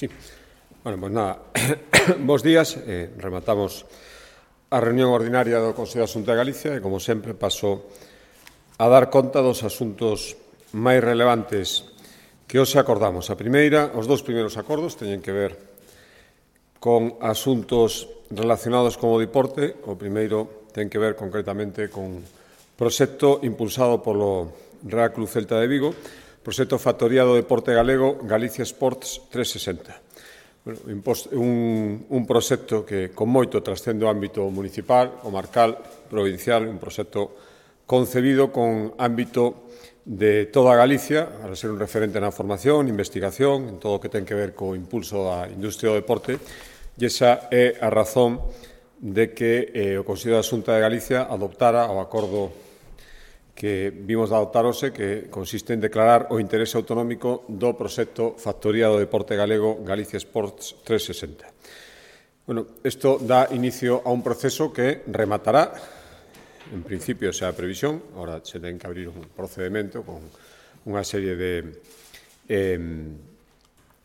Sí. Bueno, pois nada, bos días, rematamos a reunión ordinaria do Consello da Xunta de Galicia e, como sempre, paso a dar conta dos asuntos máis relevantes que hoxe acordamos. A primeira, os dous primeiros acordos teñen que ver con asuntos relacionados con o deporte. O primeiro ten que ver concretamente con proxecto impulsado polo Real Club Celta de Vigo, proxecto factoría do deporte galego Galicia Sports 360. Bueno, un proxecto que con moito trascende o ámbito municipal, comarcal, provincial, un proxecto concebido con ámbito de toda Galicia, para ser un referente na formación, investigación, en todo o que ten que ver co impulso da industria do deporte, e esa é a razón de que o Consello da Xunta de Galicia adoptara o acordo que vimos de adoptar hoxe, que consiste en declarar o interese autonómico do proxecto Factoría do Deporte Galego Galicia Sports 360. Bueno, isto dá inicio a un proceso que rematará, en principio, esa previsión, agora se ten que abrir un procedimento con unha serie de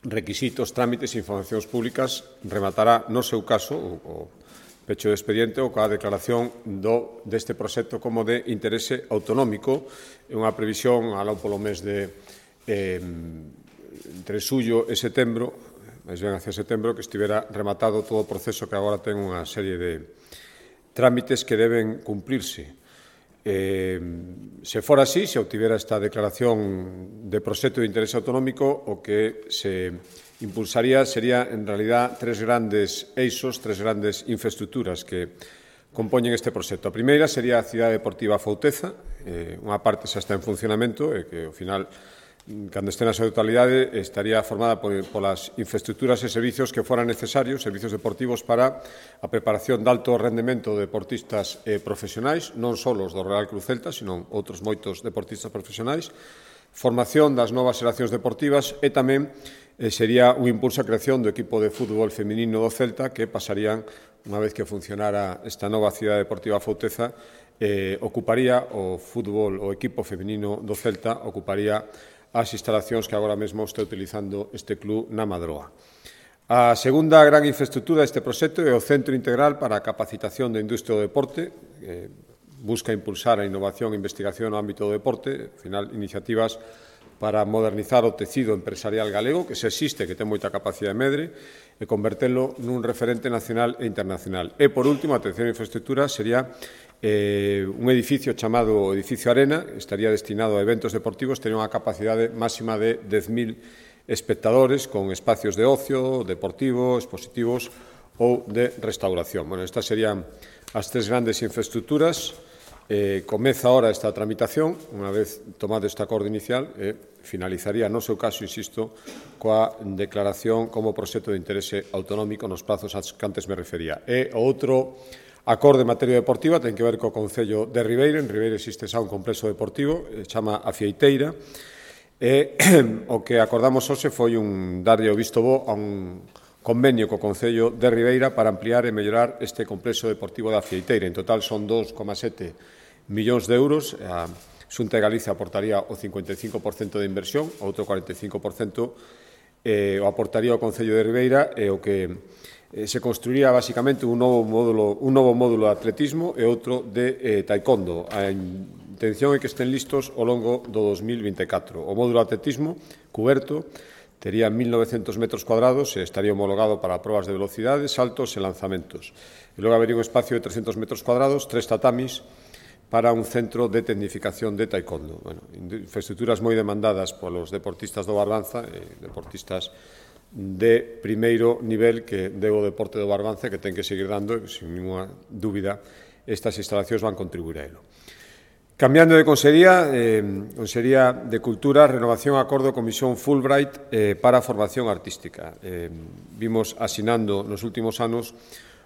requisitos, trámites e informacións públicas, rematará, no seu caso, o pecho de expediente ou coa declaración deste proxecto como de interese autonómico. É unha previsión aló polo mes de entre xullo e setembro, máis ben hacia setembro, que estivera rematado todo o proceso que agora ten unha serie de trámites que deben cumplirse. Se fora así, se obtivera esta declaración de proxecto de interese autonómico, o que se impulsaría sería, en realidad, tres grandes eixos, tres grandes infraestructuras que compoñen este proxecto. A primeira sería a Cidade Deportiva Fauteza, unha parte xa está en funcionamento e que, ao final, cando este na súa totalidade, estaría formada polas infraestructuras e servicios que foran necesarios, servicios deportivos para a preparación de alto rendemento de deportistas profesionais, non só os do Real Club Celta, sino outros moitos deportistas profesionais, formación das novas xeracións deportivas e tamén sería un impulso á creación do equipo de fútbol feminino do Celta, que pasarían, unha vez que funcionara esta nova Cidade Deportiva Fauteza, ocuparía o fútbol, o equipo feminino do Celta, ocuparía as instalacións que agora mesmo está utilizando este club na Madroa. A segunda gran infraestructura deste proxecto é o Centro Integral para a Capacitación da Industria do Deporte, que busca impulsar a innovación e investigación no ámbito do deporte, ao final, iniciativas para modernizar o tecido empresarial galego, que se existe, que ten moita capacidade de medre, e convertelo nun referente nacional e internacional. E, por último, a terceira infraestructura sería un edificio chamado Edificio Arena, estaría destinado a eventos deportivos, tería unha capacidade máxima de 10.000 espectadores, con espacios de ocio, deportivo, expositivos ou de restauración. Bueno, estas serían as tres grandes infraestructuras. Comeza ahora esta tramitación, unha vez tomado este acordo inicial, finalizaría, no seu caso, insisto, coa declaración como proxecto de interese autonómico nos prazos aos que antes me refería. E o outro acordo en materia deportiva ten que ver co Concello de Ribeira. En Ribeira existe xa un complexo deportivo, chama A Fieiteira, e o que acordamos hoxe foi darlle o visto bo a un convenio co Concello de Ribeira para ampliar e mellorar este complexo deportivo da Fieiteira. En total son 2,7 millóns de euros. A Xunta de Galicia aportaría o 55% de inversión, o outro 45% o aportaría o Concello de Ribeira, e o que se construiría basicamente un novo módulo de atletismo e outro de taekwondo. A intención é que estén listos ao longo do 2024. O módulo de atletismo cuberto tería 1.900 metros cuadrados e estaría homologado para probas de velocidade, saltos e lanzamentos. E logo habería un espacio de 300 metros cuadrados, 3 tatamis, para un centro de tecnificación de taekwondo. Bueno, infraestructuras moi demandadas polos deportistas do Barbanza, deportistas de primeiro nivel que deu o deporte do Barbanza, que ten que seguir dando, e, sin ninguna dúbida, estas instalacións van contribuir a elo. Cambiando de Consellería, Consellería de Cultura, renovación acordo Comisión Fulbright para a formación artística. Vimos asinando nos últimos anos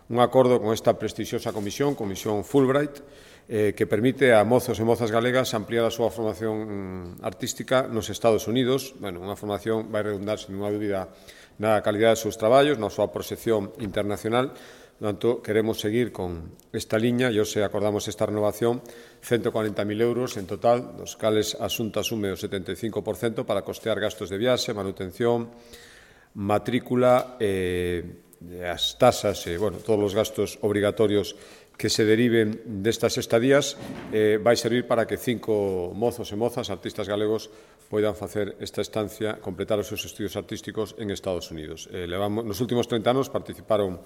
un acordo con esta prestixiosa comisión, Comisión Fulbright, que permite a mozos e mozas galegas ampliar a súa formación artística nos Estados Unidos. Bueno, unha formación vai redundar, sin ninguna dúbida, na calidade dos seus traballos, na súa proxección internacional. Por tanto, queremos seguir con esta liña e hoxe acordamos esta renovación, 140.000 euros en total, dos cales a Xunta asume o 75% para costear gastos de viaxe, manutención, matrícula, as tasas e, todos os gastos obrigatorios que se deriven destas estadías, vai servir para que 5 mozos e mozas, artistas galegos, poidan facer esta estancia, completar os seus estudios artísticos en Estados Unidos. Nos últimos 30 anos participaron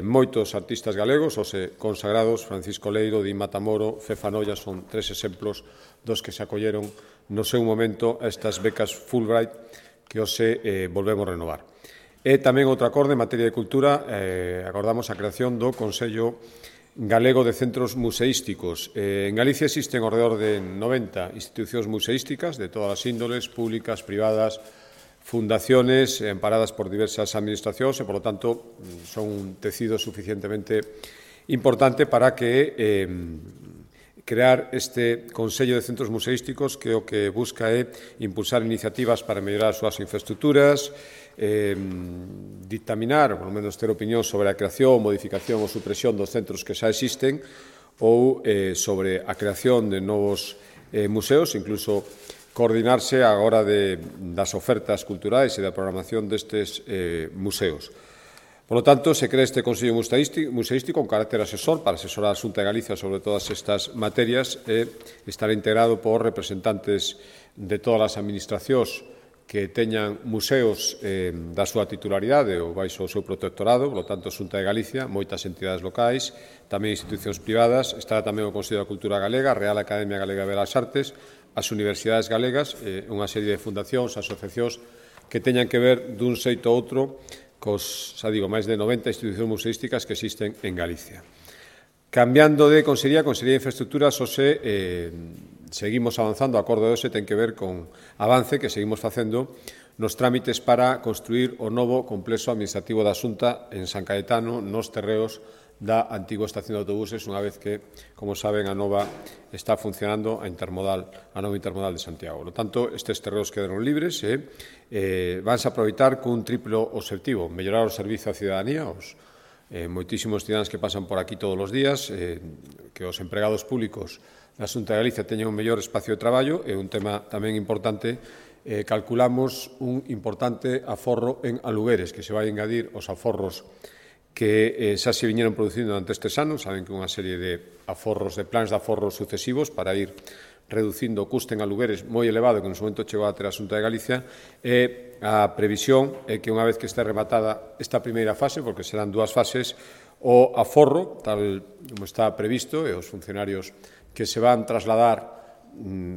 moitos artistas galegos, os consagrados Francisco Leiro, Di Matamoro, Fefa Noia, son 3 exemplos dos que se acolleron no seu momento a estas becas Fulbright que hoxe volvemos renovar. E tamén outro acorde en materia de cultura, acordamos a creación do Consello Galego de Centros Museísticos. En Galicia existen ao redor de 90 institucións museísticas de todas as índoles, públicas, privadas, fundaciones amparadas por diversas administracións e, por lo tanto, son un tecido suficientemente importante para que crear este Consello de Centros Museísticos que o que busca é impulsar iniciativas para mellorar as súas infraestructuras, dictaminar, ou polo menos ter opinión sobre a creación, modificación ou supresión dos centros que xa existen ou sobre a creación de novos museos, incluso coordinarse á hora das ofertas culturais e da programación destes museos. Por lo tanto, se crea este Consello Museístico con carácter asesor para asesorar a Xunta de Galicia sobre todas estas materias e estará integrado por representantes de todas as administracións que teñan museos da súa titularidade ou baixo o seu protectorado, por lo tanto, Xunta de Galicia, moitas entidades locais, tamén institucións privadas, estará tamén o Consello da Cultura Galega, a Real Academia Galega de Belas Artes, as universidades galegas, unha serie de fundacións, asociacións que teñan que ver dun xeito ou outro cos, máis de 90 institucións museísticas que existen en Galicia. Cambiando de Consellería de Infraestructuras, seguimos avanzando, o acordo de hoxe ten que ver con avance que seguimos facendo nos trámites para construir o novo complexo administrativo da Xunta en San Caetano, nos terreos da antigua estación de autobuses, unha vez que, como saben, a nova está funcionando a nova intermodal de Santiago. Por lo tanto, estes terreos quedaron libres e vanse aproveitar cun triplo obxectivo: mellorar o servizo á cidadanía, os moitísimos cidadáns que pasan por aquí todos os días, que os empregados públicos da Xunta de Galicia teñan un mellor espacio de traballo, e un tema tamén importante, calculamos un importante aforro en alugueres, que se vai engadir os aforros que xa se viñeron producindo durante estes anos. Saben que unha serie de aforros, de plans de aforros sucesivos para ir reducindo o custe en alugueres moi elevado que no momento chegou a ter a Xunta de Galicia, e a previsión é que unha vez que este rematada esta primeira fase, porque serán 2 fases, o aforro, tal como está previsto, e os funcionarios que se van trasladar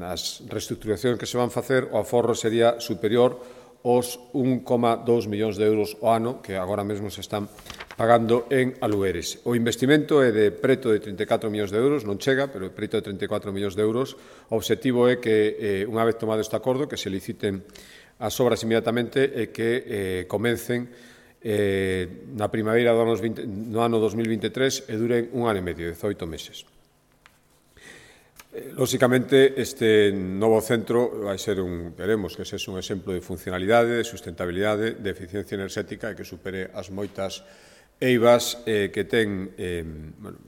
as reestructuracións que se van facer, o aforro sería superior aos 1,2 millóns de euros ao ano que agora mesmo se están pagando en alugueres. O investimento é de preto de 34 millóns de euros, non chega, pero preto de 34 millóns de euros. O obxectivo é que, unha vez tomado este acordo, que se liciten as obras inmediatamente e que comencen na primavera do ano 2023 e duren 1 ano e medio, 18 meses. Lóxicamente, este novo centro vai ser queremos que sexa un exemplo de funcionalidade, de sustentabilidade, de eficiencia enerxética e que supere as moitas eivas que ten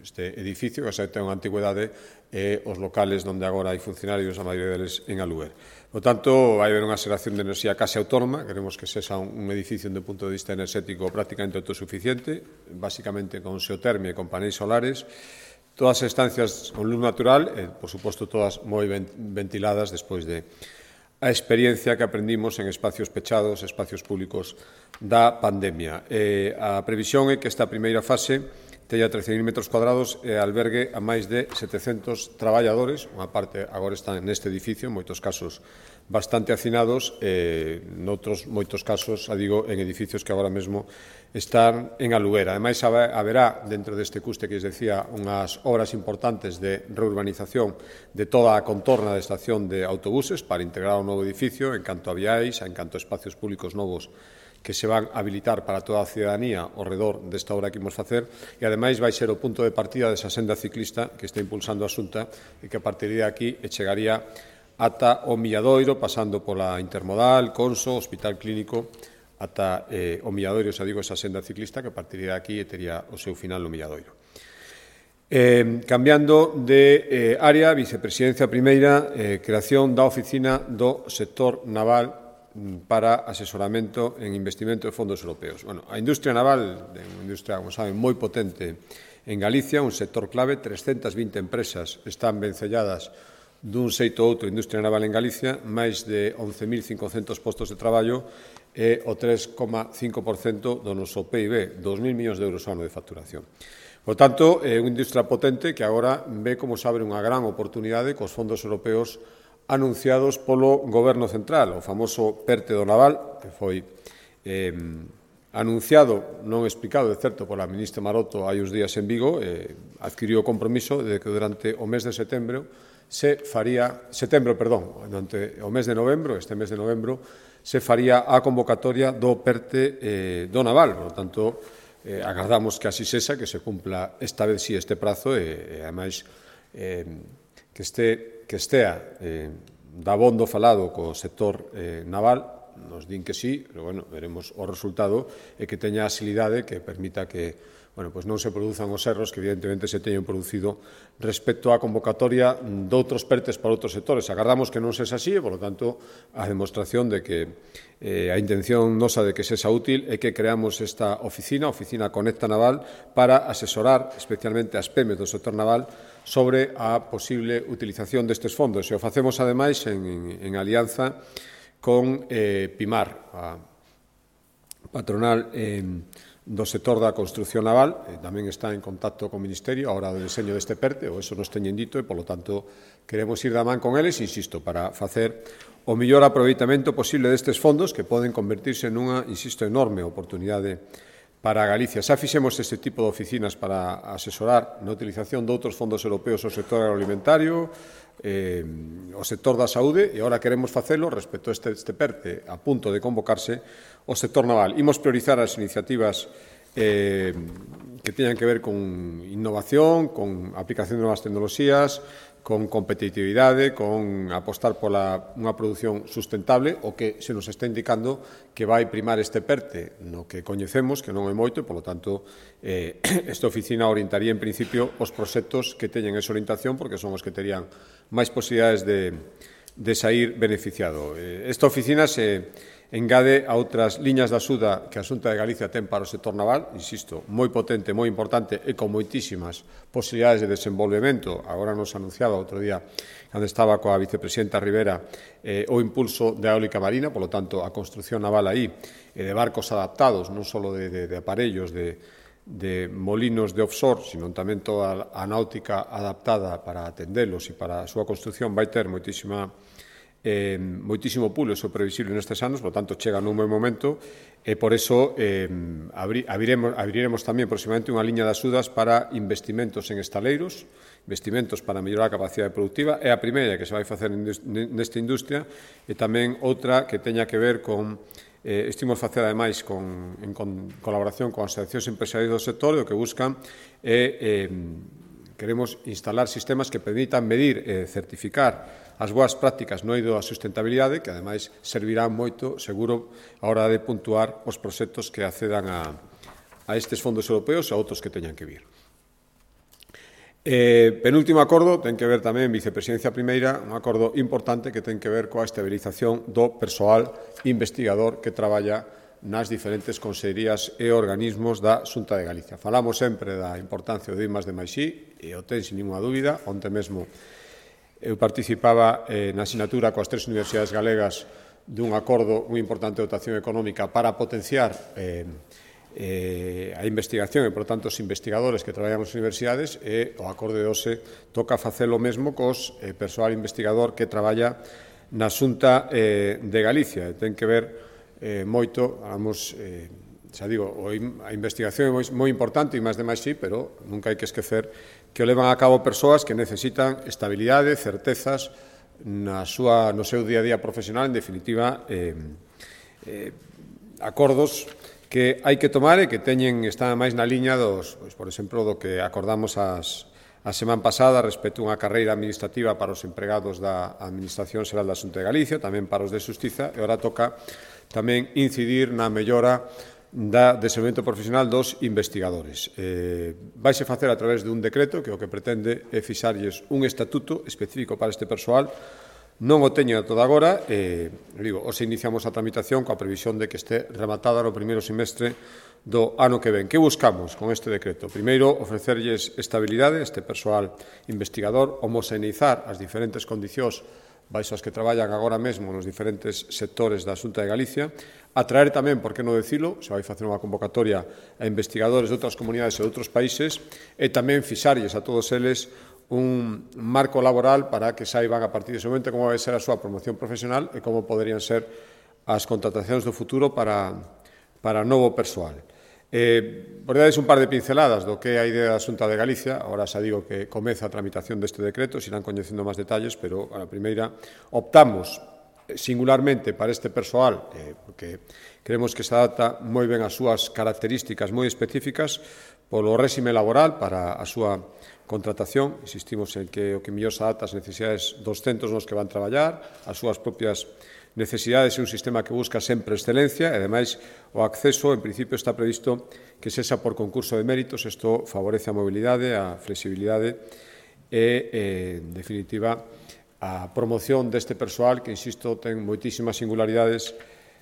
este edificio, que xa ten unha antigüedade, e os locales onde agora hai funcionarios, a maioría deles en aluguer. Por tanto, vai haber unha xeración de enerxía case autónoma, queremos que sexa un edificio do punto de vista enerxético prácticamente autosuficiente, basicamente con xeotermia e con paneis solares, todas as estancias con luz natural e, por suposto, todas moi ventiladas despois de a experiencia que aprendimos en espacios pechados, espacios públicos da pandemia. A previsión é que esta primeira fase teña 13.000 metros cuadrados e albergue a máis de 700 traballadores. Unha parte agora está neste edificio, en moitos casos bastante hacinados, noutros moitos casos, en edificios que agora mesmo están en aluguer. Ademais, haberá, dentro deste custe que lles decía, unhas obras importantes de reurbanización de toda a contorna da estación de autobuses para integrar o novo edificio en canto a viais, en canto a espacios públicos novos que se van a habilitar para toda a cidadanía ao redor desta obra que imos facer, e ademais vai ser o punto de partida desa senda ciclista que está impulsando a Xunta e que a partir de aquí chegaría ata o Milladoiro, pasando pola Intermodal, Conso, Hospital Clínico, ata o Milladoiro, esa senda ciclista que a partir de aquí tería o seu final no Milladoiro. Cambiando de área, vicepresidencia primeira, creación da oficina do sector naval para asesoramento en investimento de fondos europeos. Bueno, a industria naval é unha industria, como saben, moi potente en Galicia, un sector clave, 320 empresas están vencelladas dun xeito ou outro industria naval en Galicia, máis de 11.500 postos de traballo e o 3,5% do noso PIB, 2.000 millóns de euros ao ano de facturación. Por tanto, é unha industria potente que agora ve como se abre unha gran oportunidade cos fondos europeos anunciados polo Goberno Central, o famoso PERTE do Naval, que foi anunciado, non explicado, de certo, pola ministra Maroto hai uns días en Vigo, adquiriu o compromiso de que durante o mes de setembro durante o mes de novembro, este mes de novembro, se faría a convocatoria do PERTE do Naval. Por lo tanto, agardamos que así sexa, que se cumpla esta vez este prazo e ademais, que estea dabondo falado co sector naval, nos din que sí, pero, bueno, veremos o resultado e que teña asilidade que permita que, bueno, pues non se produzan os erros que evidentemente se teñen producido respecto á convocatoria doutros PERTES para outros sectores. Agardamos que non sexa así e, por lo tanto, a demostración de que a intención nosa de que sexa útil é que creamos esta oficina Conecta Naval, para asesorar especialmente as PEMEs do sector naval sobre a posible utilización destes fondos. E o facemos, ademais, en alianza con PIMAR, a patronal do sector da construción naval, tamén está en contacto co Ministerio a hora do deseño deste PERTE, ou eso nos teñen dito, e, polo tanto, queremos ir da man con eles, insisto, para facer o mellor aproveitamento posible destes fondos, que poden convertirse nunha, insisto, enorme oportunidade para Galicia. Xa fixemos este tipo de oficinas para asesorar na utilización de outros fondos europeos ao sector agroalimentario, o sector da saúde, e agora queremos facelo respecto a este PERTE a punto de convocarse o sector naval. Imos priorizar as iniciativas que teñan que ver con innovación, con aplicación de novas tecnoloxías, con competitividade, con apostar pola unha produción sustentable, o que se nos está indicando que vai primar este PERTE, no que coñecemos, que non é moito, e, polo tanto, esta oficina orientaría, en principio, os proxectos que teñen esa orientación, porque son os que terían máis posibilidades de sair beneficiado. Esta oficina se engade a outras liñas de axuda que a Xunta de Galicia ten para o sector naval, insisto, moi potente, moi importante e con moitísimas posibilidades de desenvolvemento. Agora nos anunciaba outro día, cando estaba coa vicepresidenta Rivera, o impulso da eólica marina, polo tanto, a construción naval aí, e de barcos adaptados, non só de aparellos, de molinos de offshore, sino tamén toda a náutica adaptada para atendelos e para a súa construción, vai ter moitísimo pulo, iso previsible nestes anos, por tanto, chega nun buen momento, e por iso abriremos tamén próximamente unha liña de axudas para investimentos en estaleiros, investimentos para mellorar a capacidade productiva. É a primeira que se vai facer nesta industria, e tamén outra que teña que ver con estimos facer, ademais, en colaboración con as asociacións empresariais do sector, e o que buscan é queremos instalar sistemas que permitan medir e certificar as boas prácticas no eido da sustentabilidade, que, ademais, servirán moito, seguro, a hora de puntuar os proxectos que accedan a estes fondos europeos e a outros que teñan que vir. Penúltimo acordo ten que ver tamén, vicepresidencia primeira, un acordo importante que ten que ver coa estabilización do persoal investigador que traballa nas diferentes consellerías e organismos da Xunta de Galicia. Falamos sempre da importancia do I+D+I, e o ten sin ninguna dúbida. Onte mesmo eu participaba na asignatura coas 3 universidades galegas dun acordo moi importante de dotación económica para potenciar a investigación e, por tanto, os investigadores que traballan nas universidades, e o acordo de hoxe toca facer o mesmo cos persoal investigador que traballa na Xunta de Galicia. Ten que ver moito, xa digo, a investigación é moi importante, e I+D+I, pero nunca hai que esquecer que o levan a cabo persoas que necesitan estabilidade, certezas no seu día a día profesional, en definitiva, acordos que hai que tomar e que están máis na liña por exemplo, do que acordamos a semana pasada respecto a unha carreira administrativa para os empregados da Administración Xeral da Xunta de Galicia, tamén para os de Xustiza, e agora toca tamén incidir na mellora da desenvolvemento profesional dos investigadores. Vaise facer a través dun decreto que o que pretende é fixarlles un estatuto específico para este persoal, non o teñen toda agora, os iniciamos a tramitación coa previsión de que este rematada no primeiro semestre do ano que ven. Que buscamos con este decreto? Primeiro, ofrecerlles estabilidade a este persoal investigador, homoxeneizar as diferentes condicións baixo as que traballan agora mesmo nos diferentes sectores da Xunta de Galicia, atraer tamén, por que non dicilo, se vai facer unha convocatoria a investigadores de outras comunidades e de outros países, e tamén fixarlles a todos eles un marco laboral para que saiban a partir dese momento como vai ser a súa promoción profesional e como poderían ser as contratacións do futuro para novo persoal. Por darles un par de pinceladas do que é a idea da Xunta de Galicia, agora xa digo que comeza a tramitación deste decreto, se irán coñecendo máis detalles, pero a primeira optamos singularmente para este persoal, porque creemos que se adapta moi ben ás súas características moi específicas polo réxime laboral para a súa contratación. Insistimos en que o que mellor se adapta ás necesidades dos centros nos que van traballar, as súas propias necesidades, é un sistema que busca sempre excelencia e, ademais, o acceso, en principio, está previsto que sexa por concurso de méritos. Isto favorece a mobilidade, a flexibilidade e, en definitiva, a promoción deste persoal que, insisto, ten moitísimas singularidades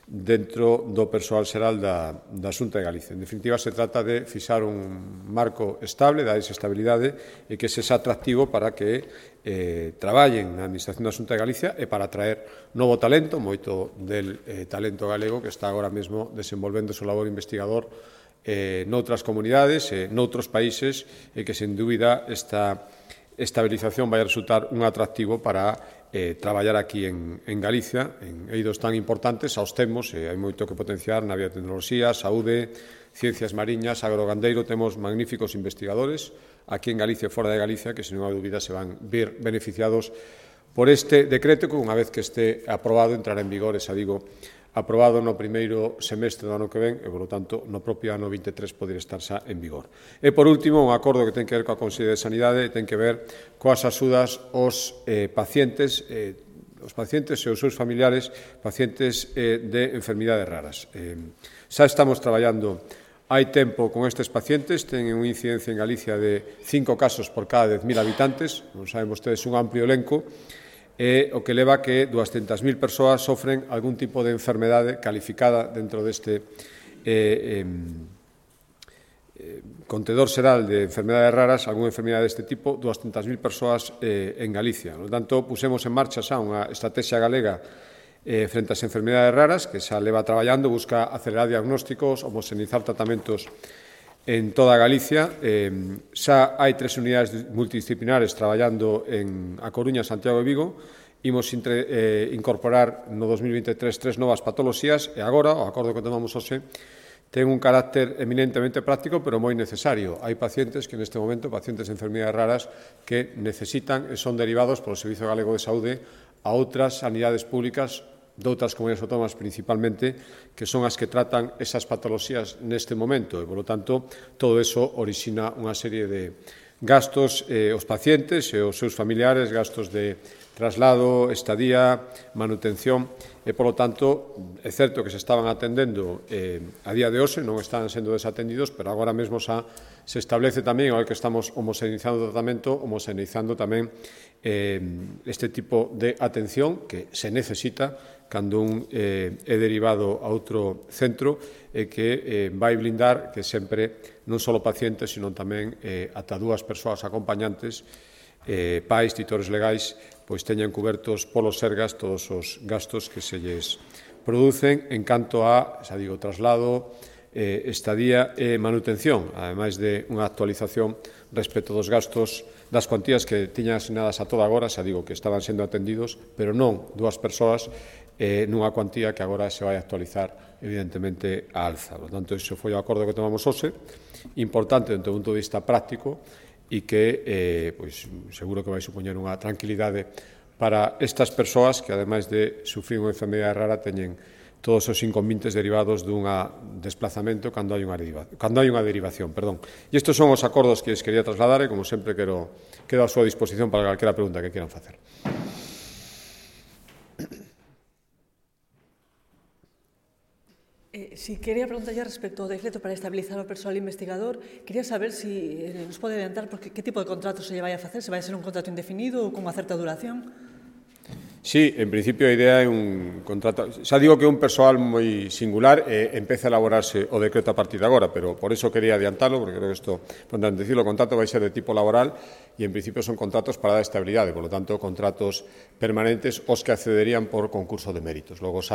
dentro do persoal xeral da Xunta de Galicia. En definitiva, se trata de fixar un marco estable, dar esa estabilidade e que sexa atractivo para que traballen na Administración da Xunta de Galicia e para atraer novo talento, moito del talento galego que está agora mesmo desenvolvendo o seu labor investigador noutras comunidades e noutros países e que, sen dúbida, esta estabilización vai a resultar un atractivo para traballar aquí en Galicia, en eidos tan importantes, aos temos, hai moito que potenciar na biotecnoloxía, saúde, ciencias mariñas, agrogandeiro, temos magníficos investigadores aquí en Galicia e fora de Galicia que, sen unha dúbida, se van ver beneficiados por este decreto que, unha vez que este aprobado, entrará en vigor, xa digo, aprobado no primeiro semestre do ano que ven e, polo tanto, no propio ano 23 poder estar xa en vigor. E, por último, un acordo que ten que ver coa Consellería de Sanidade e ten que ver coas axudas aos pacientes e os seus familiares, pacientes de enfermidades raras. Xa estamos traballando hai tempo con estes pacientes, teñen unha incidencia en Galicia de 5 casos por cada 10.000 habitantes, non saben vostedes, un amplio elenco, e o que leva a que 200.000 persoas sofren algún tipo de enfermedade calificada dentro deste contedor xeral de enfermedades raras, algunha enfermedade deste tipo, 200.000 persoas en Galicia. Por tanto, pusemos en marcha xa unha estrategia galega frente ás enfermedades raras, que xa leva traballando, busca acelerar diagnósticos, homoxeneizar tratamentos en toda Galicia. Xa hai 3 unidades multidisciplinares traballando en A Coruña, Santiago e Vigo. Imos incorporar no 2023 3 novas patoloxías e agora o acordo que tomamos hoxe ten un carácter eminentemente práctico, pero moi necesario. Hai pacientes que neste momento, pacientes de enfermedades raras, que necesitan e son derivados polo Servizo Galego de Saúde a outras sanidades públicas de outras comunidades autónomas principalmente, que son as que tratan esas patoloxías neste momento e, polo tanto, todo eso orixina unha serie de gastos aos pacientes e aos seus familiares, gastos de traslado, estadía, manutención e, polo tanto, é certo que se estaban atendendo a día de hoxe, non están sendo desatendidos, pero agora mesmo xa se establece tamén, ao que estamos homoxeneizando o tratamento, homoxeneizando tamén este tipo de atención que se necesita cando un é derivado a outro centro e que vai blindar que sempre non só pacientes, sino tamén ata 2 persoas acompañantes, pais, titores legais, pois teñan cubertos polos Sergas todos os gastos que se lles producen en canto a, xa digo, traslado, estadía e manutención, ademais de unha actualización respecto dos gastos das cuantías que tiñan asignadas a toda agora, xa digo que estaban sendo atendidos, pero non 2 persoas nunha cuantía que agora se vai actualizar evidentemente a alza. Por tanto, iso foi o acordo que tomamos hoxe, importante dentro do punto de vista práctico e que pois, seguro que vai supoñer unha tranquilidade para estas persoas que, ademais de sufrir unha enfermedade rara, teñen todos os inconvenientes derivados dun desplazamento cando hai unha derivación. E estes son os acordos que les quería trasladar e, como sempre, quedo a súa disposición para calquera pregunta que quieran facer. Si quería preguntarlle respecto ao decreto para estabilizar o persoal investigador, quería saber si nos pode adiantar que tipo de contrato se lle vai a facer, se vai a ser un contrato indefinido ou con unha certa duración. Sí, en principio a idea é un contrato... Xa digo que é un persoal moi singular e empeza a elaborarse o decreto a partir de agora, pero por eso quería adiantarlo, porque creo que isto, por decirlo, o contrato vai ser de tipo laboral e en principio son contratos para dar estabilidade, por lo tanto, contratos permanentes os que accederían por concurso de méritos. Logo, se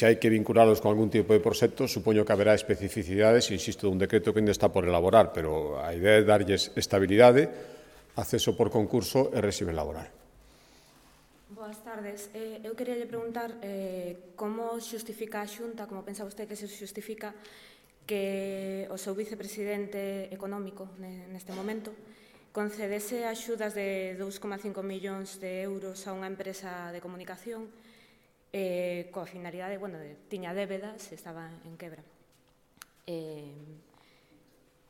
hai que vincularlos con algún tipo de proxecto, supoño que haberá especificidades, insisto, dun decreto que ainda está por elaborar, pero a idea é darlles estabilidade, acceso por concurso e réxime laboral. Boas tardes. Eu queria lle preguntar como xustifica a Xunta, como pensa vostede que se xustifica que o seu vicepresidente económico neste momento concedese axudas de 2,5 millóns de euros a unha empresa de comunicación coa finalidade, tiña débedas, estaba en quebra.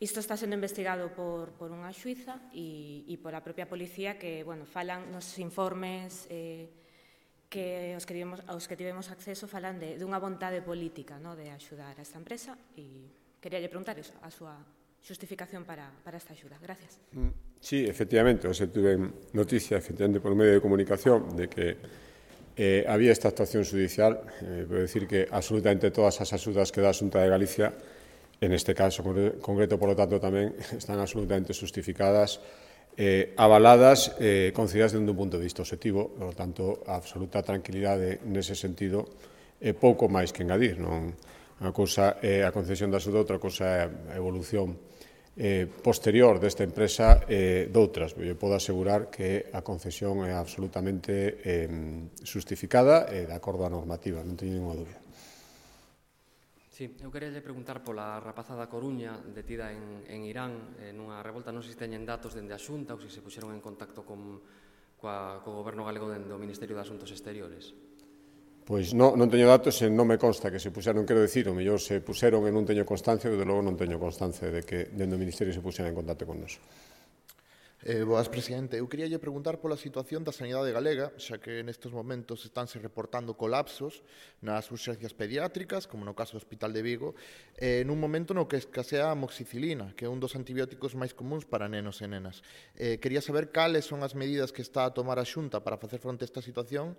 Isto está sendo investigado por unha xuíza e pola propia policía que, falan nos informes que aos que tivemos acceso falan dunha vontade política de axudar a esta empresa e quería lle preguntar a súa xustificación para esta axuda. Gracias. Sí, efectivamente, se tuve noticia, efectivamente, por medio de comunicación de que había esta actuación judicial. Puedo decir que absolutamente todas as axudas que dá a Xunta de Galicia, en este caso concreto, por lo tanto, tamén están absolutamente justificadas, avaladas, concedidas desde un punto de vista objetivo, por lo tanto, absoluta tranquilidade nese sentido, pouco máis que engadir. Unha cousa é a concesión da axuda, outra cousa é a evolución posterior desta empresa doutras. Eu podo asegurar que a concesión é absolutamente justificada e de acordo á normativa, non teño ninguna dúbida. Sí, eu queria preguntar pola rapaza da Coruña detida en Irán nunha revolta, non sei se teñen datos dende a Xunta ou se puxeron en contacto co Goberno galego dende o Ministerio de Asuntos Exteriores. Pois non teño datos e non me consta que se puxeron, quero dicir, o mellor se puxeron e non teño constancia, e, de logo, non teño constancia de que dende o Ministerio se puxeran en contacto con nos. Boas, presidente. Eu queria lle preguntar pola situación da sanidade galega, xa que nestes momentos estánse reportando colapsos nas urxencias pediátricas, como no caso do Hospital de Vigo, nun momento no que escasea a amoxicilina, que é un dos antibióticos máis comuns para nenos e nenas. Quería saber cales son as medidas que está a tomar a Xunta para facer fronte a esta situación,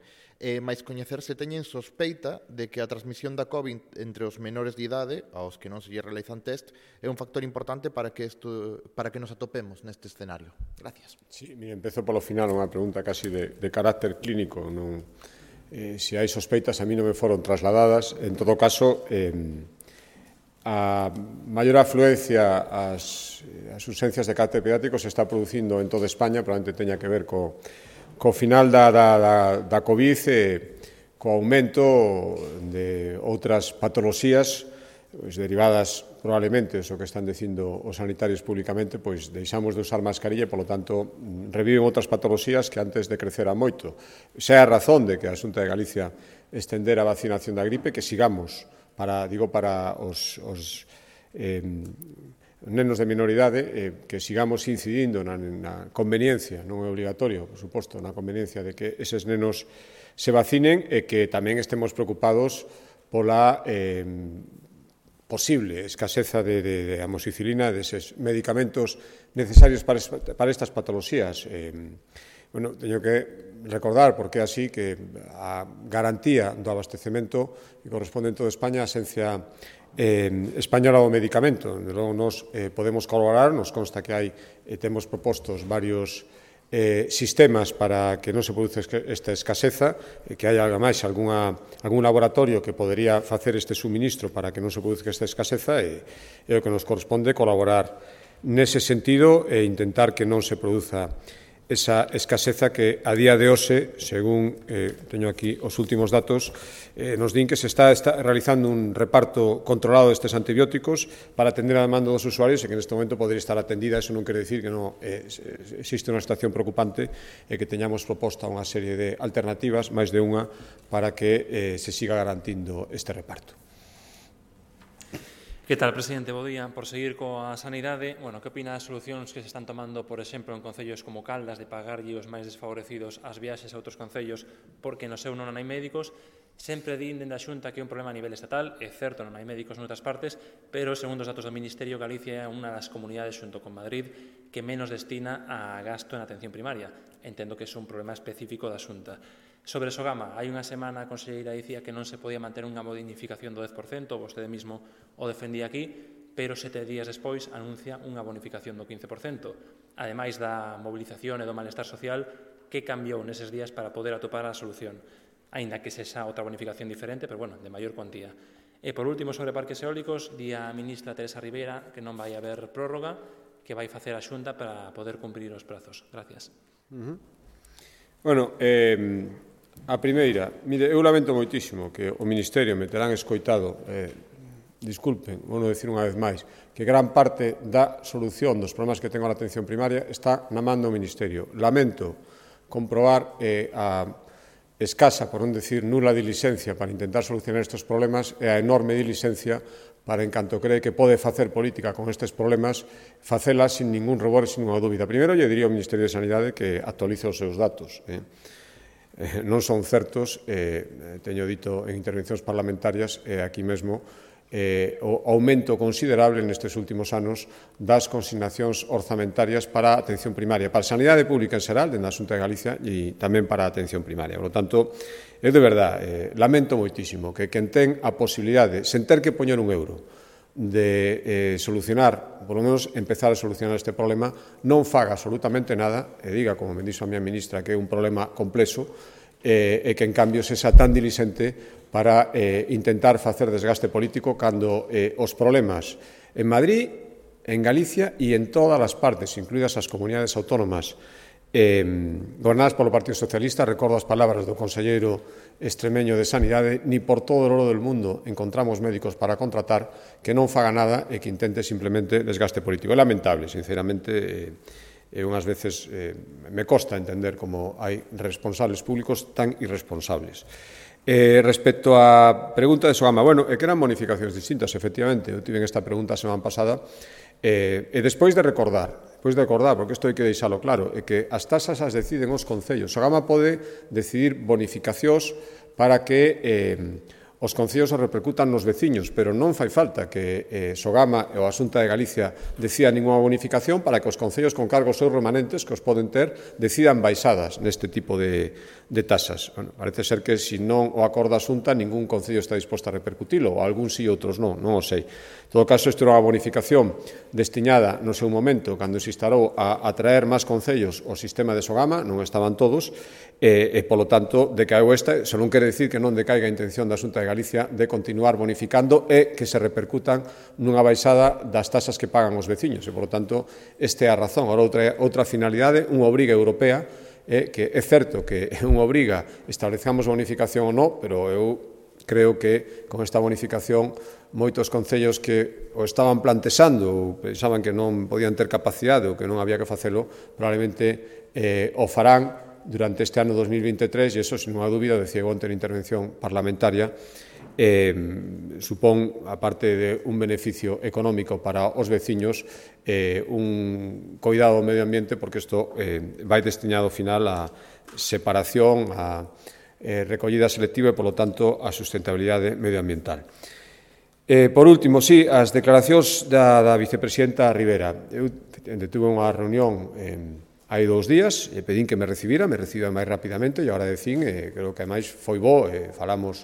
máis coñecer se teñen sospeita de que a transmisión da COVID entre os menores de idade, aos que non se lle realizan test, é un factor importante para que nos atopemos neste escenario. Gracias. Sí, empezo polo final, unha pregunta casi de carácter clínico. Se hai sospeitas, a mí non me foron trasladadas. En todo caso, a maior afluencia ás urxencias de carácter pediátrico se está producindo en toda España, probablemente teña que ver co final da COVID e co aumento de outras patoloxías derivadas probablemente o que están dicindo os sanitarios públicamente, pois deixamos de usar mascarilla e, polo tanto, reviven outras patoloxías que antes decreceran moito. Xa é a razón de que a Xunta de Galicia estendera a vacinación da gripe, que sigamos, para os nenos de minoridade, que sigamos incidindo na conveniencia, non é obligatorio, por suposto, na conveniencia de que eses nenos se vacinen e que tamén estemos preocupados pola posible escaseza de amoxicilina, deses medicamentos necesarios para estas patoloxías. Teño que recordar, porque é así, que a garantía do abastecemento que corresponde en toda España a Axencia Española do Medicamento. Logo, nos podemos colaborar, nos consta que temos propostos varios sistemas para que non se produza esta escaseza, que hai máis algún laboratorio que podería facer este suministro para que non se produza esta escaseza, e o que nos corresponde colaborar nese sentido e intentar que non se produza esa escaseza que a día de hoxe, según teño aquí os últimos datos, nos din que se está realizando un reparto controlado destes antibióticos para atender a demanda dos usuarios e que neste momento podría estar atendida. Eso non quere dicir que non existe unha situación preocupante e que teñamos proposta unha serie de alternativas, máis de unha, para que se siga garantindo este reparto. Que tal, presidente? Bo día. Por seguir coa sanidade, que opina das solucións que se están tomando, por exemplo, en concellos como Caldas, de pagarlle os máis desfavorecidos as viaxes a outros concellos porque no seu non hai médicos? Sempre din dende a Xunta que é un problema a nivel estatal, é certo, non hai médicos noutras partes, pero, segundo os datos do Ministerio, Galicia é unha das comunidades, xunto con Madrid, que menos destina a gasto en atención primaria. Entendo que é un problema específico da Xunta. Sobre Sogama, hai unha semana a conselleira dicía que non se podía manter unha bonificación do 10%, vostede mesmo o defendía aquí, pero 7 días despois anuncia unha bonificación do 15%. Ademais da mobilización e do malestar social, que cambiou neses días para poder atopar a solución? Aínda que sexa outra bonificación diferente, pero, bueno, de maior cuantía. E, por último, sobre parques eólicos, di a ministra Teresa Ribera que non vai haber prórroga, que vai facer a Xunta para poder cumprir os prazos. Gracias. Bueno, a primeira, mire, eu lamento moitísimo que o Ministerio me terán escoitado, disculpen, vou non dicir unha vez máis, que gran parte da solución dos problemas que tengo na atención primaria está na man do Ministerio. Lamento comprobar a escasa, por non decir nula diligencia para intentar solucionar estes problemas e a enorme diligencia para, en canto cree que pode facer política con estes problemas, facela sin ningún rubor e sin ninguna dúbida. Primeiro, lle diría ao Ministerio de Sanidade que actualice os seus datos. Non son certos, teño dito en intervencións parlamentarias aquí mesmo, o aumento considerable nestes últimos anos das consignacións orzamentarias para a atención primaria, para a sanidade pública en xeral, dentro da Xunta de Galicia, e tamén para a atención primaria. Por lo tanto, eu de verdade lamento moitísimo que quen ten a posibilidade, sen ter que poñer un euro, de solucionar, por lo menos empezar a solucionar este problema, non faga absolutamente nada e diga, como me dixo a miña ministra, que é un problema complexo e que, en cambio, sexa tan diligente para intentar facer desgaste político cando os problemas en Madrid, en Galicia e en todas as partes, incluídas as comunidades autónomas gobernadas polo Partido Socialista, recordo as palabras do conselleiro extremeño de Sanidade, ni por todo o oro del mundo encontramos médicos para contratar, que non faga nada e que intente simplemente desgaste político. É lamentable, sinceramente, unhas veces me costa entender como hai responsables públicos tan irresponsables. Respecto á pregunta de Sogama, bueno, é que eran bonificacións distintas, efectivamente, eu tive esta pregunta a semana pasada, e despois de recordar, porque isto hai que deixalo claro, é que as tasas as deciden os concellos. Sogama pode decidir bonificacións para que os concellos se repercutan nos veciños, pero non fai falta que Sogama ou a Xunta de Galicia decida ninguna bonificación para que os concellos con cargos seus remanentes que os poden ter decidan baixadas neste tipo de tasas. Bueno, parece ser que se non o acorda a Xunta, ningún concello está disposto a repercutilo, ou algún sí e outros non o sei. En todo caso, isto era unha bonificación destiñada no seu momento, cando se instalou a atraer máis concellos ao sistema de Sogama, non estaban todos, e, polo tanto, decaeu esta, se non quere dicir que non decaiga a intención da Xunta de Galicia de continuar bonificando e que se repercutan nunha baixada das tasas que pagan os veciños, e, polo tanto, esta é a razón. Agora, outra finalidade, unha obriga europea, que é certo que é unha obriga establezamos bonificación ou non, pero eu creo que con esta bonificación moitos concellos que o estaban plantexando ou pensaban que non podían ter capacidade ou que non había que facelo, probablemente o farán durante este ano 2023 e iso, sin unha dúbida, decía onte na intervención parlamentaria, supón, aparte de un beneficio económico para os veciños, un coidado ao medio ambiente, porque isto vai destiñado ao final a separación, a recollida selectiva e, polo tanto, a sustentabilidade medioambiental. Por último, sí, as declaracións da vicepresidenta Ribera. Eu tuve unha reunión hai 2 días, e pedín que me reciba máis rapidamente, e agora decín, creo que máis foi bo, falamos,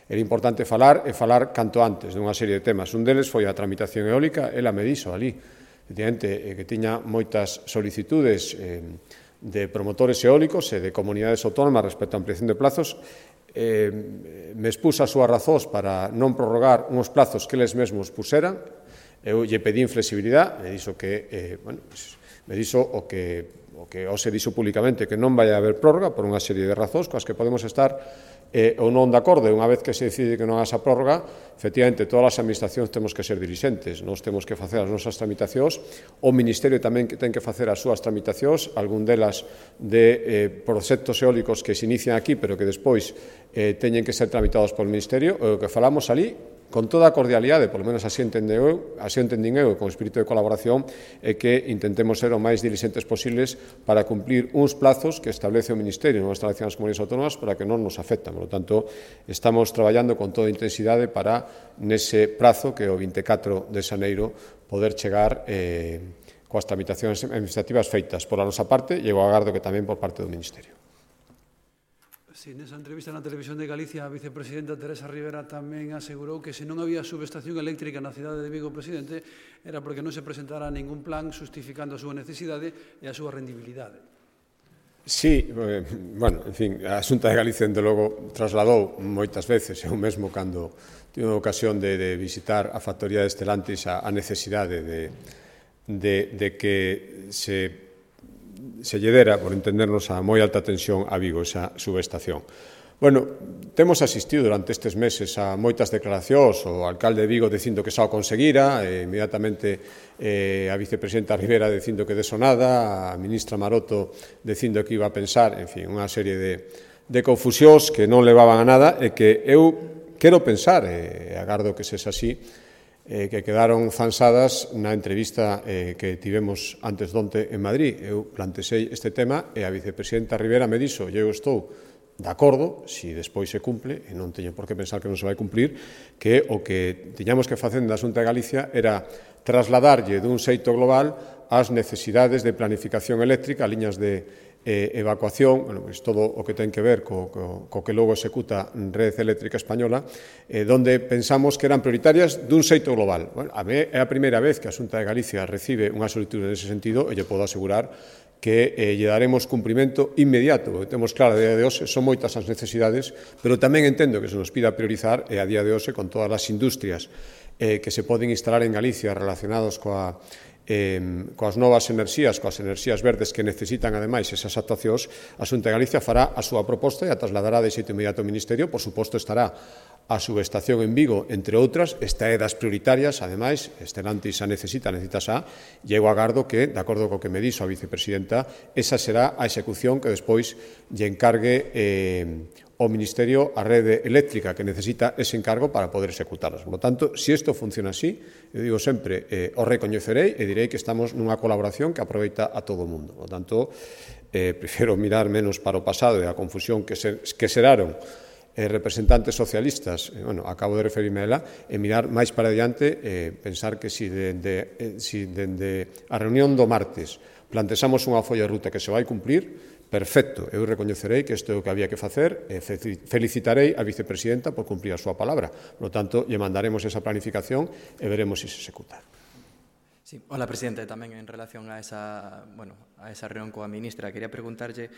era importante falar canto antes dunha serie de temas. Un deles foi a tramitación eólica, ela me dixo ali, efectivamente, que tiña moitas solicitudes de promotores eólicos e de comunidades autónomas respecto á ampliación de plazos, me expuso as súas razóns para non prorrogar uns plazos que eles mesmos puseran, eu lle pedín flexibilidade, me dixo que, me dixo o que se dixo públicamente, que non vai haber prórroga por unha serie de razóns coas que podemos estar ou non de acordo. Unha vez que se decide que non haxa prórroga, efectivamente, todas as administracións temos que ser dirixentes, nós temos que facer as nosas tramitacións, o Ministerio tamén ten que facer as súas tramitacións, algún delas de proxectos eólicos que se inician aquí, pero que despois teñen que ser tramitados polo Ministerio, o que falamos ali, con toda a cordialidade, polo menos así entendín eu, con espírito de colaboración, é que intentemos ser o máis diligentes posibles para cumplir uns plazos que establece o Ministerio, non establecen as comunidades autónomas, para que non nos afectan. Por lo tanto, estamos traballando con toda intensidade para, nese prazo, que é o 24 de xaneiro, poder chegar coas tramitacións administrativas feitas por a nosa parte e eu agardo que tamén por parte do Ministerio. Sí, nesa entrevista na Televisión de Galicia, a vicepresidenta Teresa Rivera tamén asegurou que se non había subestación eléctrica na cidade de Vigo, presidente, era porque non se presentara ningún plan justificando a súa necesidade e a súa rendibilidade. Sí, bueno, en fin, a Xunta de Galicia, de logo, trasladou moitas veces, eu mesmo, cando tive a ocasión de visitar a factoría de Stellantis, a necesidade de que se lle dera, por entendernos, a moi alta tensión a Vigo, esa subestación. Bueno, temos asistido durante estes meses a moitas declaracións, o alcalde de Vigo dicindo que xa o conseguira, inmediatamente a vicepresidenta Rivera dicindo que deso nada, a ministra Maroto dicindo que iba a pensar, en fin, unha serie de confusións que non levaban a nada e que eu quero pensar, e agardo que sexa así, que quedaron zansadas na entrevista que tivemos antes donte en Madrid. Eu plantexei este tema e a vicepresidenta Rivera me dixo, eu estou de acordo, se despois se cumple, e non teño por que pensar que non se vai cumplir, que o que tiñamos que facer da Xunta de Galicia era trasladarlle dun xeito global as necesidades de planificación eléctrica, liñas de evacuación, bueno, pues todo o que ten que ver co que logo executa Red Eléctrica Española, donde pensamos que eran prioritarias dun xeito global. Bueno, é a primeira vez que a Xunta de Galicia recibe unha solicitud nese sentido e lle podo asegurar que lle daremos cumprimento inmediato, porque temos claro, a día de hoxe son moitas as necesidades, pero tamén entendo que se nos pida priorizar, e a día de hoxe, con todas as industrias que se poden instalar en Galicia relacionados coas novas enerxías, coas enerxías verdes que necesitan, ademais, esas actuacións, a Xunta de Galicia fará a súa proposta e a trasladará de xeito inmediato ao Ministerio. Por suposto, estará a subestación en Vigo, entre outras. Esta é das prioritarias, ademais, Stellantis a necesita xa, e eu agardo que, de acordo co que me dixo a vicepresidenta, esa será a execución que despois lle encargue o Ministerio a rede eléctrica que necesita ese encargo para poder executarlas. Por lo tanto, se isto funciona así, eu digo sempre, o recoñecerei e direi que estamos nunha colaboración que aproveita a todo o mundo. Por lo tanto, prefiro mirar menos para o pasado e a confusión que xeraron representantes socialistas, bueno, acabo de referirme a ela, e mirar máis para diante, pensar que si dende a reunión do martes plantexamos unha folla de ruta que se vai cumplir, perfecto, eu recoñecerei que isto é o que había que facer e felicitarei a vicepresidenta por cumprir a súa palabra. Por lo tanto, lle mandaremos esa planificación e veremos se executa. Sí, hola, presidente. Tamén en relación a esa reunión coa ministra, quería preguntarlle,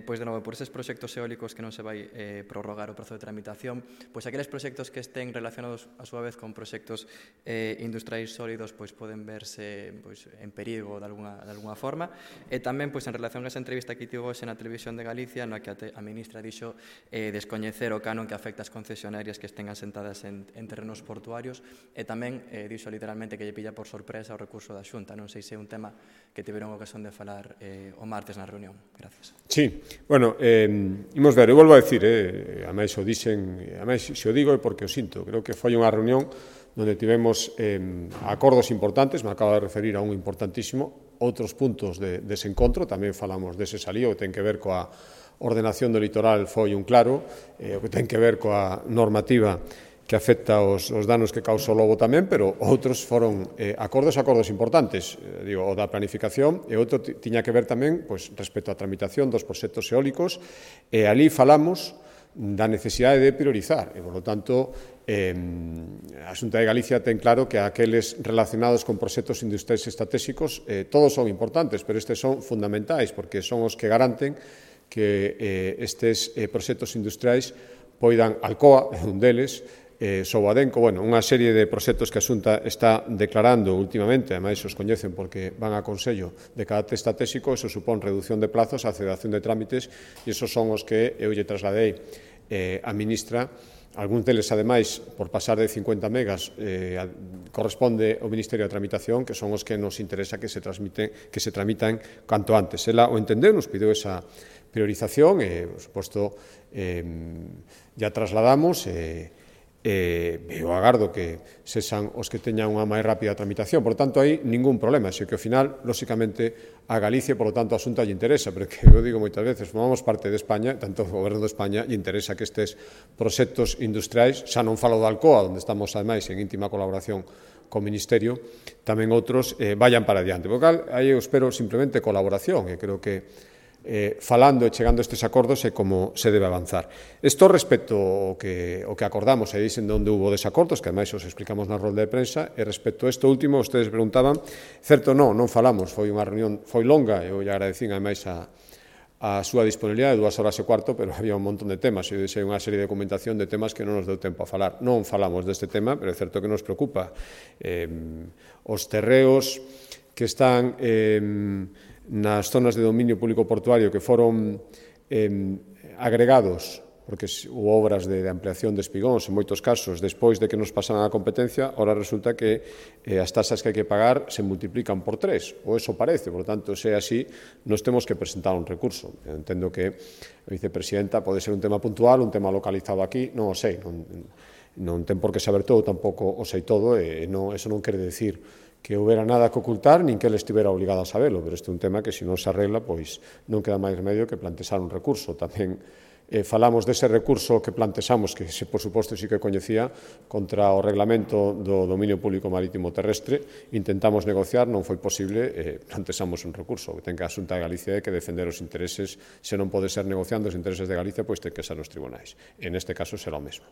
pois de novo, por eses proxectos eólicos que non se vai prorrogar o prazo de tramitación, pois aqueles proxectos que estén relacionados a súa vez con proxectos industriais sólidos, pois poden verse en perigo de alguna forma. E tamén, pois en relación a esa entrevista que tivo hoxe na Televisión de Galicia, na que a ministra dixo descoñecer o canon que afecta as concesionarias que estén asentadas en terrenos portuarios, e tamén dixo literalmente que lle pilla por sorpresa o recurso da Xunta. Non sei se é un tema que tiveron ocasión de falar o martes na reunión. Gracias. Sí, bueno, imos ver, eu volvo a decir, a máis o dixen, a máis se o digo é porque o sinto, creo que foi unha reunión onde tivemos acordos importantes, me acabo de referir a un importantísimo, outros puntos de desencontro, tamén falamos dese salío, que ten que ver coa ordenación do litoral foi un claro, o que ten que ver coa normativa que afecta os danos que causa o lobo tamén, pero outros foron acordos importantes, digo, o da planificación, e outro tiña que ver tamén respecto á tramitación dos proxectos eólicos, e ali falamos da necesidade de priorizar, e, por lo tanto, a Xunta de Galicia ten claro que aqueles relacionados con proxectos industriais estratégicos todos son importantes, pero estes son fundamentais, porque son os que garanten que estes proxectos industriais poidan, Alcoa, un deles, Sobadenco, bueno, unha serie de proxectos que a Xunta está declarando últimamente, ademais os coñecen porque van a Consello de carácter estratégico, eso supón reducción de plazos, aceleración de trámites, e esos son os que eu lle trasladei a ministra. Algúns deles, ademais, por pasar de 50 megas, corresponde ao Ministerio de Tramitación, que son os que nos interesa que se tramitan canto antes. Ela o entendeu, nos pideu esa priorización e, por suposto, ya trasladamos eu agardo que sexan os que teñan unha máis rápida tramitación. Por tanto, aí ningún problema, xe que ao final, lóxicamente, a Galicia, por lo tanto, a Xunta lle interesa, pero que eu digo moitas veces, formamos parte de España, tanto o Goberno de España lle interesa que estes proxectos industriais, xa non falo da Alcoa, onde estamos, ademais, en íntima colaboración co Ministerio, tamén outros vayan para adiante. Por cal, aí eu espero simplemente colaboración, e creo que falando e chegando a estes acordos e como se debe avanzar. Isto respecto ao que acordamos e dicen onde hubo desacordos, que ademais os explicamos na rolda de prensa, e respecto a isto último, ustedes preguntaban, certo, non falamos, foi unha reunión, foi longa, e eu lle agradecín ademais a súa disponibilidade, 2 horas e cuarto, pero había un montón de temas, e deixei unha serie de documentación de temas que non nos deu tempo a falar. Non falamos deste tema, pero é certo que nos preocupa. Os terreos que están nas zonas de dominio público portuario que foron agregados, porque hubo obras de ampliación de espigóns, en moitos casos, despois de que nos pasaran a competencia, ahora resulta que as tasas que hai que pagar se multiplican por 3, ou eso parece, por tanto, se é así, nos temos que presentar un recurso. Eu entendo que a vicepresidenta pode ser un tema puntual, un tema localizado aquí, non o sei, non ten por que saber todo, tampouco o sei todo, e eso non quere decir que houbera nada que ocultar, nin que ele estivera obligado a sabelo, pero este é un tema que, se non se arregla, pois non queda máis remedio que plantexar un recurso. Tamén falamos dese recurso que plantexamos, que por suposto sí que coñecía, contra o reglamento do dominio público marítimo terrestre. Intentamos negociar, non foi posible, plantexamos un recurso. O que ten que a Xunta de Galicia é que defender os intereses, se non pode ser negociando os intereses de Galicia, pois ten que ser nos tribunais. En este caso será o mesmo.